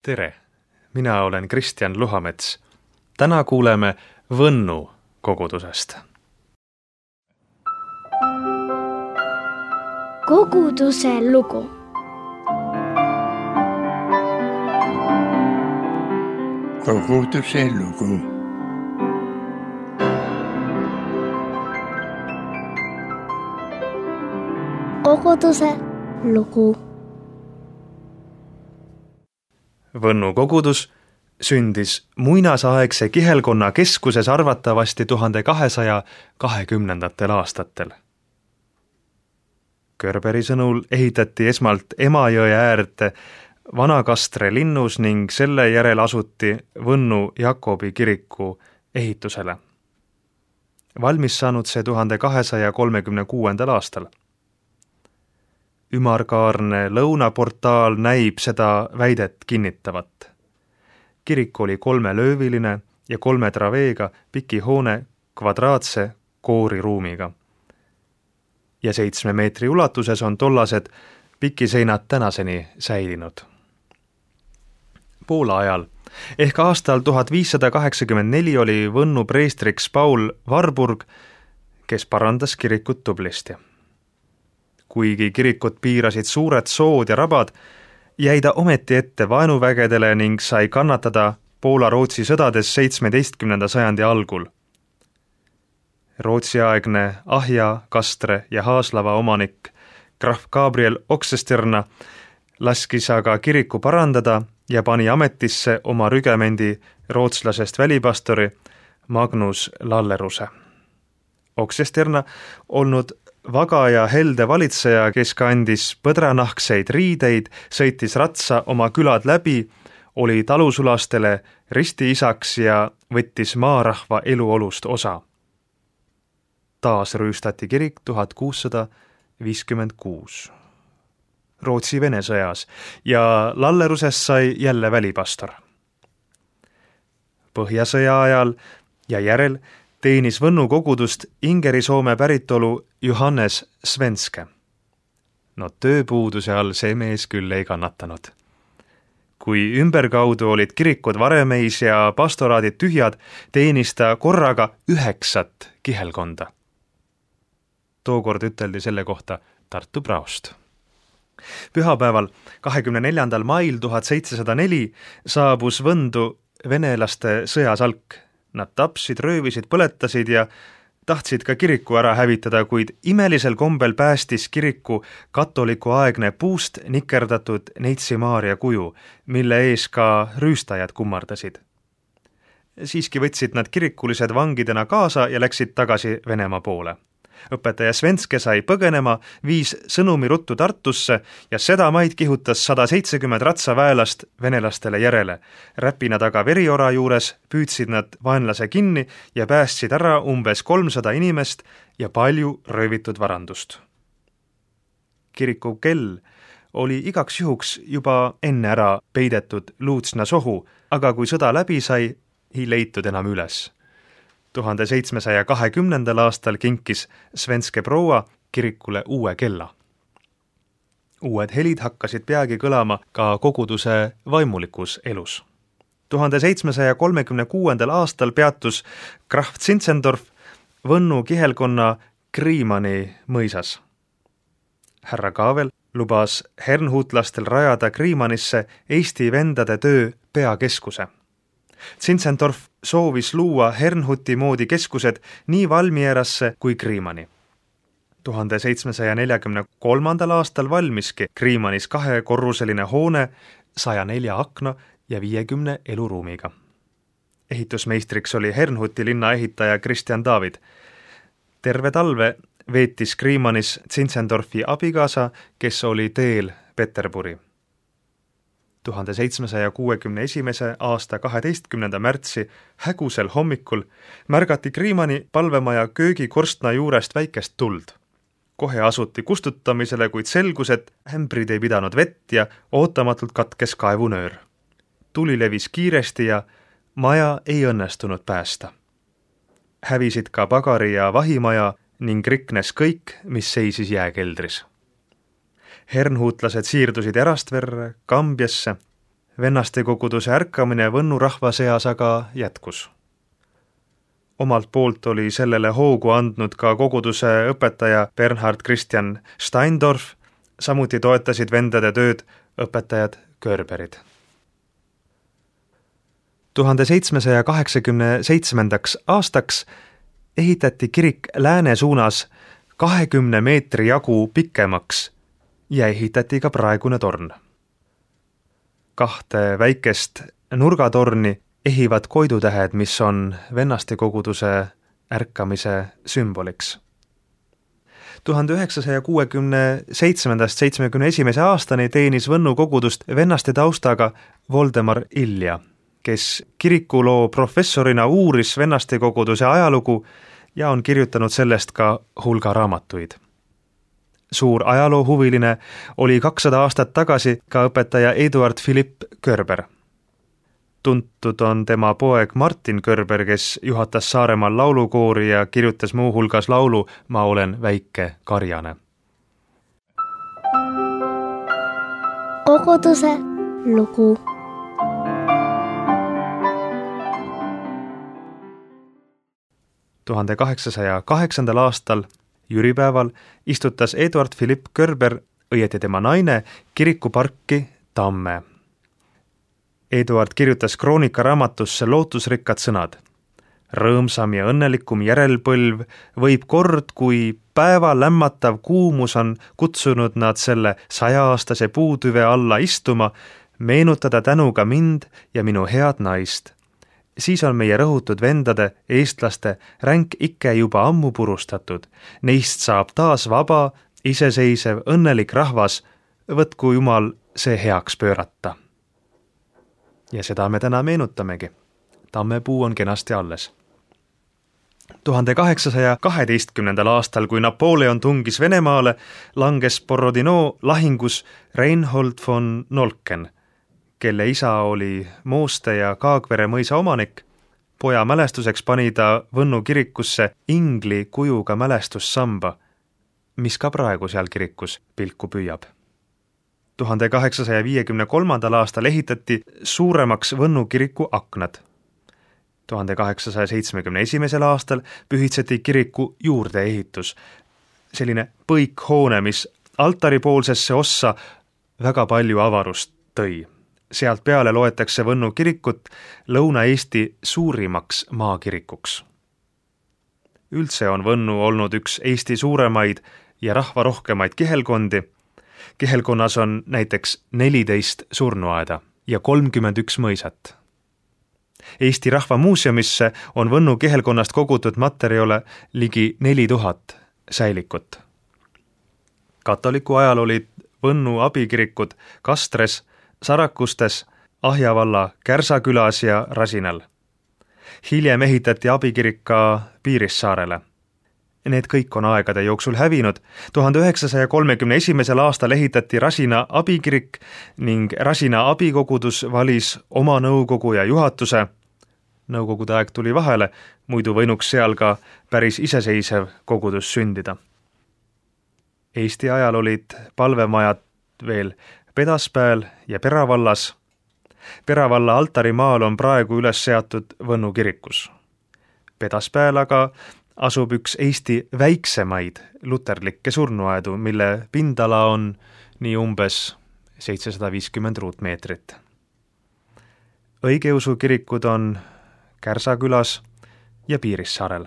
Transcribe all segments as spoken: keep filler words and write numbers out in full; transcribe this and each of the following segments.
Tere, mina olen Kristjan Luhamets. Täna kuuleme Võnnu kogudusest. Koguduse lugu. Koguduse lugu. Koguduse lugu. Võnnu kogudus sündis muinasaegse kihelkonna keskuses arvatavasti tuhande kahesaja kahekümnendatel aastatel. Körberi sõnul ehitati esmalt Emajõe äärde Vana-Kastre linnus ning selle järel asuti Võnnu Jakobi kiriku ehitusele. Valmis saanud see tuhande kahesaja kolmekümne kuuendal aastal. Ümarkaarne lõunaportaal näib seda väidet kinnitavat. Kirik oli kolmelööviline ja kolme traveega piki hoone kvadraatse kooriruumiga. Ja seitsme meetri ulatuses on tollased pikiseinad tänaseni säilinud. Poola ajal, ehk aastal tuhat viissada kaheksakümmend neli oli Võnnu preestriks Paul Warburg, kes parandas kirikut tublisti. Kuigi kirikut piirasid suured sood ja rabad, jäi ta ometi ette vaenuvägedele ning sai kannatada Poola-Rootsi sõdades seitsmeteistkümnenda sajandi algul. Rootsiaegne Ahja, Kastre ja Haaslava omanik krahv Gabriel Oxesterna laskis aga kiriku parandada ja pani ametisse oma rügemendi rootslasest välipastori Magnus Lalleruse. Oxesterna olnud vaga ja helde valitseja, kes kandis põdranahkseid riideid, sõitis ratsa oma külad läbi, oli talusulastele ristiisaks ja võttis maarahva eluolust osa. Taas rüüstati kirik tuhat kuussada viiskümmend kuus Rootsi-Vene sõjas ja Lallerusest sai jälle välipastor. Põhjasõja ajal ja järel teenis Võnnu kogudust Ingeri-Soome päritolu Johannes Svenske. No tööpuuduse all see mees küll ei kannatanud. Kui ümberkaudu olid kirikud varemeis ja pastoraadid tühjad, teenis ta korraga üheksat kihelkonda. Tookord üteldi selle kohta Tartu praost. Pühapäeval kahekümne neljandal mail tuhat seitsesada neli saabus Võndu venelaste sõjasalk. Nad tapsid, röövisid, põletasid ja tahtsid ka kiriku ära hävitada, kuid imelisel kombel päästis kiriku katoliku aegne puust nikerdatud Neitsi Maaria kuju, mille ees ka rüüstajad kummardasid. Siiski võtsid nad kirikulised vangidena kaasa ja läksid tagasi Venemaa poole. Õpetaja Svenske sai põgenema, viis sõnumi ruttu Tartusse ja sedamaid kihutas sada seitsekümmend ratsaväelast venelastele järele. Räpina taga veriora juures püüdsid nad vaenlase kinni ja päästsid ära umbes kolmsada inimest ja palju röövitud varandust. Kiriku kell oli igaks juhuks juba enne ära peidetud Luutsna sohu, aga kui sõda läbi sai, ei leitud enam üles. tuhande seitsmesaja kahekümnendal aastal kinkis Svenske proua kirikule uue kella. Uued helid hakkasid peagi kõlama ka koguduse vaimulikus elus. tuhande seitsmesaja kolmekümne kuuendal aastal peatus krahv Zinzendorf Võnnu kihelkonna Kriimani mõisas. Härra Kaavel lubas hernhutlastel rajada Kriimanisse Eesti vendade töö peakeskuse. Zinzendorf soovis luua Hernhuti moodi keskused nii Valmierasse kui Kriimani. tuhande seitsmesaja neljakümne kolmandal aastal valmiski Kriimanis kahekorruseline hoone saja nelja akna ja viiekümne eluruumiga. Ehitusmeistriks oli Hernhuti linna ehitaja Kristjan David. Terve talve veetis Kriimanis Zinzendorfi abikaasa, kes oli teel Peterburi. tuhande seitsmesaja kuuekümne esimese aasta kaheteistkümnenda märtsi hägusel hommikul märgati Kriimani palvemaja köögikorstna juurest väikest tuld. Kohe asuti kustutamisele, kuid selgus, et ämbrid ei pidanud vett ja ootamatult katkes kaevunöör. Tuli levis kiiresti ja maja ei õnnestunud päästa. Hävisid ka pagari ja vahimaja ning riknes kõik, mis seisis jääkeldris. Hernhuutlased siirdusid Erastverre, Kambjasse, vennaste koguduse ärkamine Võnnu rahva seas aga jätkus. Omalt poolt oli sellele hoogu andnud ka koguduse õpetaja Bernhard Christian Steindorf, samuti toetasid vendade tööd õpetajad Körberid. tuhande seitsmesaja kaheksakümne seitsmendaks aastaks ehitati kirik lääne suunas kahekümne meetri jagu pikemaks ja ehitati ka praegune torn. Kahte väikest nurgatorni ehivad koidutähed, mis on vennaste koguduse ärkamise sümboliks. tuhande üheksasaja kuuekümne seitsmendast seitsmekümne esimese aastani teenis Võnnu kogudust vennaste taustaga Voldemar Ilja, kes kirikuloo professorina uuris vennaste koguduse ajalugu ja on kirjutanud sellest ka hulga raamatuid. Suur ajaloohuviline oli kakssada aastat tagasi ka õpetaja Eduard Philipp Körber. Tuntud on tema poeg Martin Körber, kes juhatas Saaremaal laulukoori ja kirjutas muu hulgas laulu Ma olen väike karjane. Koguduse lugu. tuhande kaheksasaja kaheksandal aastal jüripäeval istutas Eduard Philipp Körber, õieti tema naine, kirikuparki Tamme. Eduard kirjutas kroonika raamatusse lootusrikkad sõnad. Rõõmsam ja õnnelikum järelpõlv võib kord, kui päeva lämmatav kuumus on kutsunud nad selle sajaaastase puutüve alla istuma, meenutada tänuga mind ja minu head naist. Siis on meie rõhutud vendade, eestlaste, ränk ikke juba ammu purustatud. Neist saab taas vaba, iseseisev, õnnelik rahvas, võtku Jumal see heaks pöörata. Ja seda me täna meenutamegi. Tammepuu on kenasti alles. tuhande kaheksasaja kaheteistkümnendal aastal, kui Napoleon tungis Venemaale, langes Borodino lahingus Reinhold von Nolken, kelle isa oli Mooste ja Kaagvere mõisa omanik. Poja mälestuseks pani ta Võnnu kirikusse ingli kujuga mälestussamba, mis ka praegu seal kirikus pilku püüab. tuhande kaheksasaja viiekümne kolmandal aastal ehitati suuremaks Võnnu kiriku aknad. tuhande kaheksasaja seitsmekümne esimesel aastal pühitseti kiriku juurdeehitus, selline põikhoone, mis altaripoolsesse ossa väga palju avarust tõi. Sealt peale loetakse Võnnu kirikut Lõuna-Eesti suurimaks maakirikuks. Üldse on Võnnu olnud üks Eesti suuremaid ja rahvarohkemaid kihelkondi. Kihelkonnas on näiteks neliteist surnuaeda ja kolmkümmend üks mõisat. Eesti Rahva Muuseumisse on Võnnu kihelkonnast kogutud materjale ligi neli tuhat säilikut. Katoliku ajal olid Võnnu abikirikud Kastres, Sarakustes, Ahja valla Kärsakülas ja Rasinal. Hiljem ehitati abikirik ka Piirissaarele. Need kõik on aegade jooksul hävinud. tuhande üheksasaja kolmekümne esimesel aastal ehitati Rasina abikirik ning Rasina abikogudus valis oma nõukogu ja juhatuse. Nõukogude aeg tuli vahele, muidu võinuks seal ka päris iseseisev kogudus sündida. Eesti ajal olid palvemajad veel Pedaspäel ja Peravallas. Peravalla altarimaal on praegu üles seatud Võnnu kirikus. Pedaspäel aga asub üks Eesti väiksemaid luterlikke surnuaedu, mille pindala on nii umbes seitsesada viiskümmend ruutmeetrit. Õigeusu kirikud on Kärsakülas ja Piirissaarel.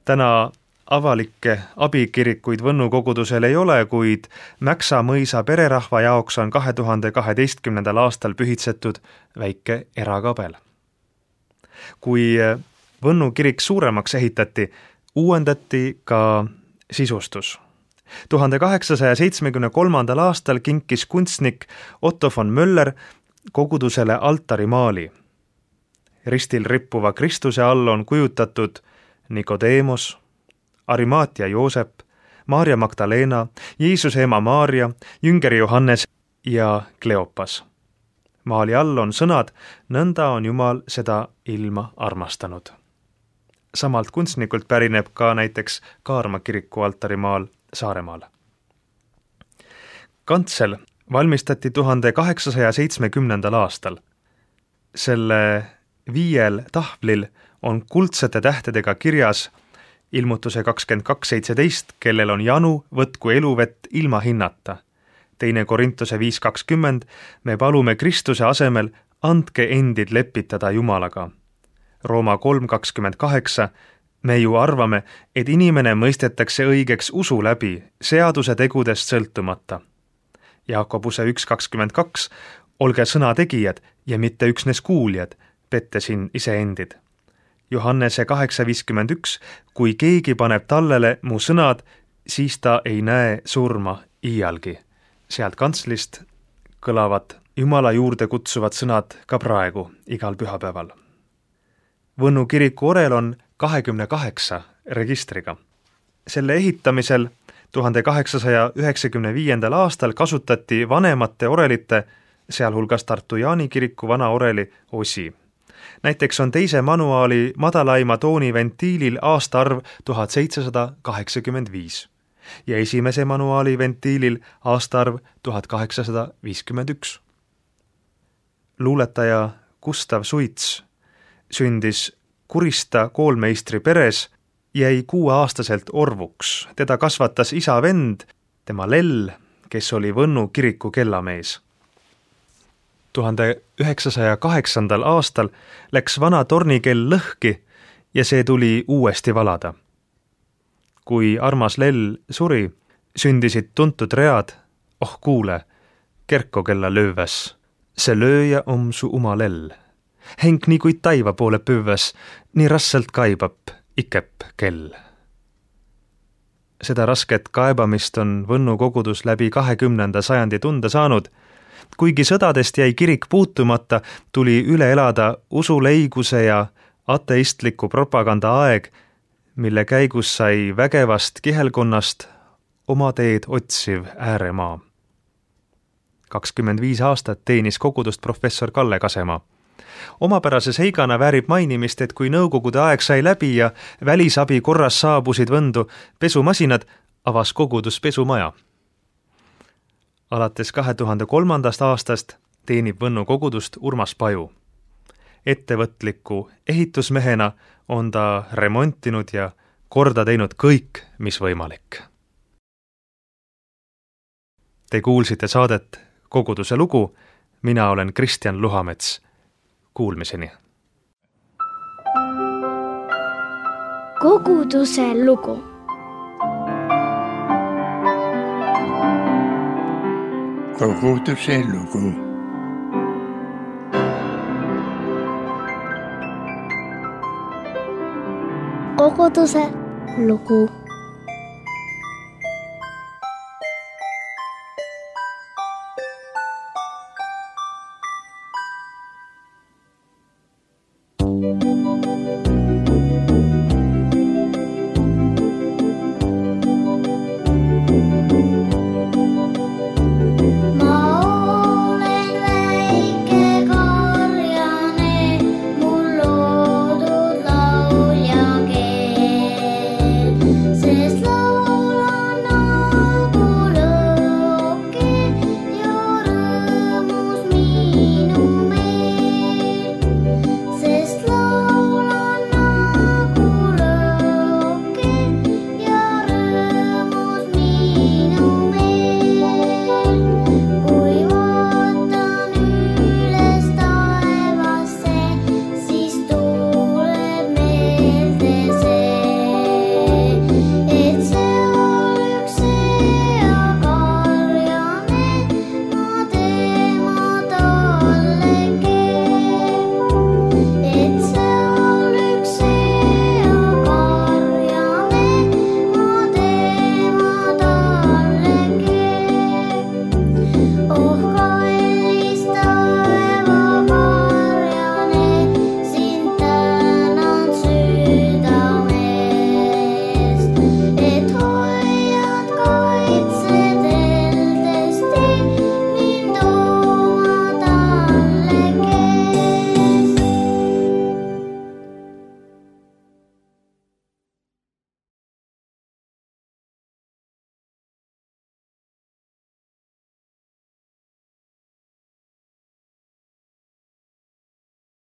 Täna avalikke abikirikuid Võnnu kogudusel ei ole, kuid Mäksa mõisa pererahva jaoks on kahe tuhande kaheteistkümnendal aastal pühitsetud väike erakabel. Kui Võnnu kirik suuremaks ehitati, uuendati ka sisustus. tuhande kaheksasaja seitsmekümne kolmandal aastal kinkis kunstnik Otto von Möller kogudusele altarimaali. Ristil rippuva Kristuse all on kujutatud Nikodeemos, Arimaatia Joosep, Maarja Magdalena, Jeesuse ema Maarja, jüngeri Johannes ja Kleopas. Maali all on sõnad, nõnda on Jumal seda ilma armastanud. Samalt kunstnikult pärineb ka näiteks Kaarma kiriku altarimaal Saaremaal. Kantsel valmistati tuhande kaheksasaja seitsmekümnendal aastal. Selle viiel tahvlil on kuldsete tähtedega kirjas ilmutuse kakskümmend kaks seitseteist, kellel on janu, võtku eluvett ilma hinnata. Teine Korintuse viis kakskümmend, me palume Kristuse asemel, andke endid lepitada Jumalaga. Rooma kolm kakskümmend kaheksa, me ju arvame, et inimene mõistetakse õigeks usu läbi, seaduse tegudest sõltumata. Jaakobuse üks kakskümmend kaks, olge sõnategijad ja mitte üksnes kuuljad, pettesin iseendid. Johannese kaheksa viiskümmend üks, kui keegi paneb tallele mu sõnad, siis ta ei näe surma iialgi. Sealt kantslist kõlavad Jumala juurde kutsuvad sõnad ka praegu, igal pühapäeval. Võnnu kiriku orel on kahekümne kaheksa registriga. Selle ehitamisel tuhande kaheksasaja üheksakümne viiendal aastal kasutati vanemate orelite, sealhulgas Tartu Jaani kiriku vana oreli osi. Näiteks on teise manuaali madalaima tooni ventiilil aastaarv tuhat seitsesada kaheksakümmend viis ja esimese manuaali ventiilil aastaarv tuhat kaheksasada viiskümmend üks. Luuletaja Gustav Suits sündis Kurista koolmeistri peres, jäi kuueaastaselt orvuks. Teda kasvatas isa vend, tema Lell, kes oli Võnnu kiriku kellamees. tuhande üheksasaja kaheksandal aastal läks vana tornikell lõhki ja see tuli uuesti valada. Kui armas Lell suri, sündisid tuntud read, oh kuule, kerkokella lööväs, see lööja om su uma Lell. Henk nii kui taiva poole püvväs, nii rasselt kaibab ikep kell. Seda rasket kaebamist on Võnnu kogudus läbi kahekümnenda sajandi tunda saanud. Kuigi sõdadest jäi kirik puutumata, tuli üle elada usuleiguse ja ateistliku propaganda aeg, mille käigus sai vägevast kihelkonnast oma teed otsiv ääremaa. kakskümmend viis aastat teenis kogudust professor Kalle Kasemaa. Omapärase seigana väärib mainimist, et kui nõukogude aeg sai läbi ja välisabi korras saabusid Võndu pesumasinad, avas kogudus pesumaja. Alates kahe tuhande kolmandast aastast teenib Võnnu kogudust Urmas Paju. Ettevõtliku ehitusmehena on ta remontinud ja korda teinud kõik, mis võimalik. Te kuulsite saadet Koguduse lugu, mina olen Kristjan Luhamets. Kuulmiseni. Koguduse lugu. Koguduse lugu. Koguduse lugu.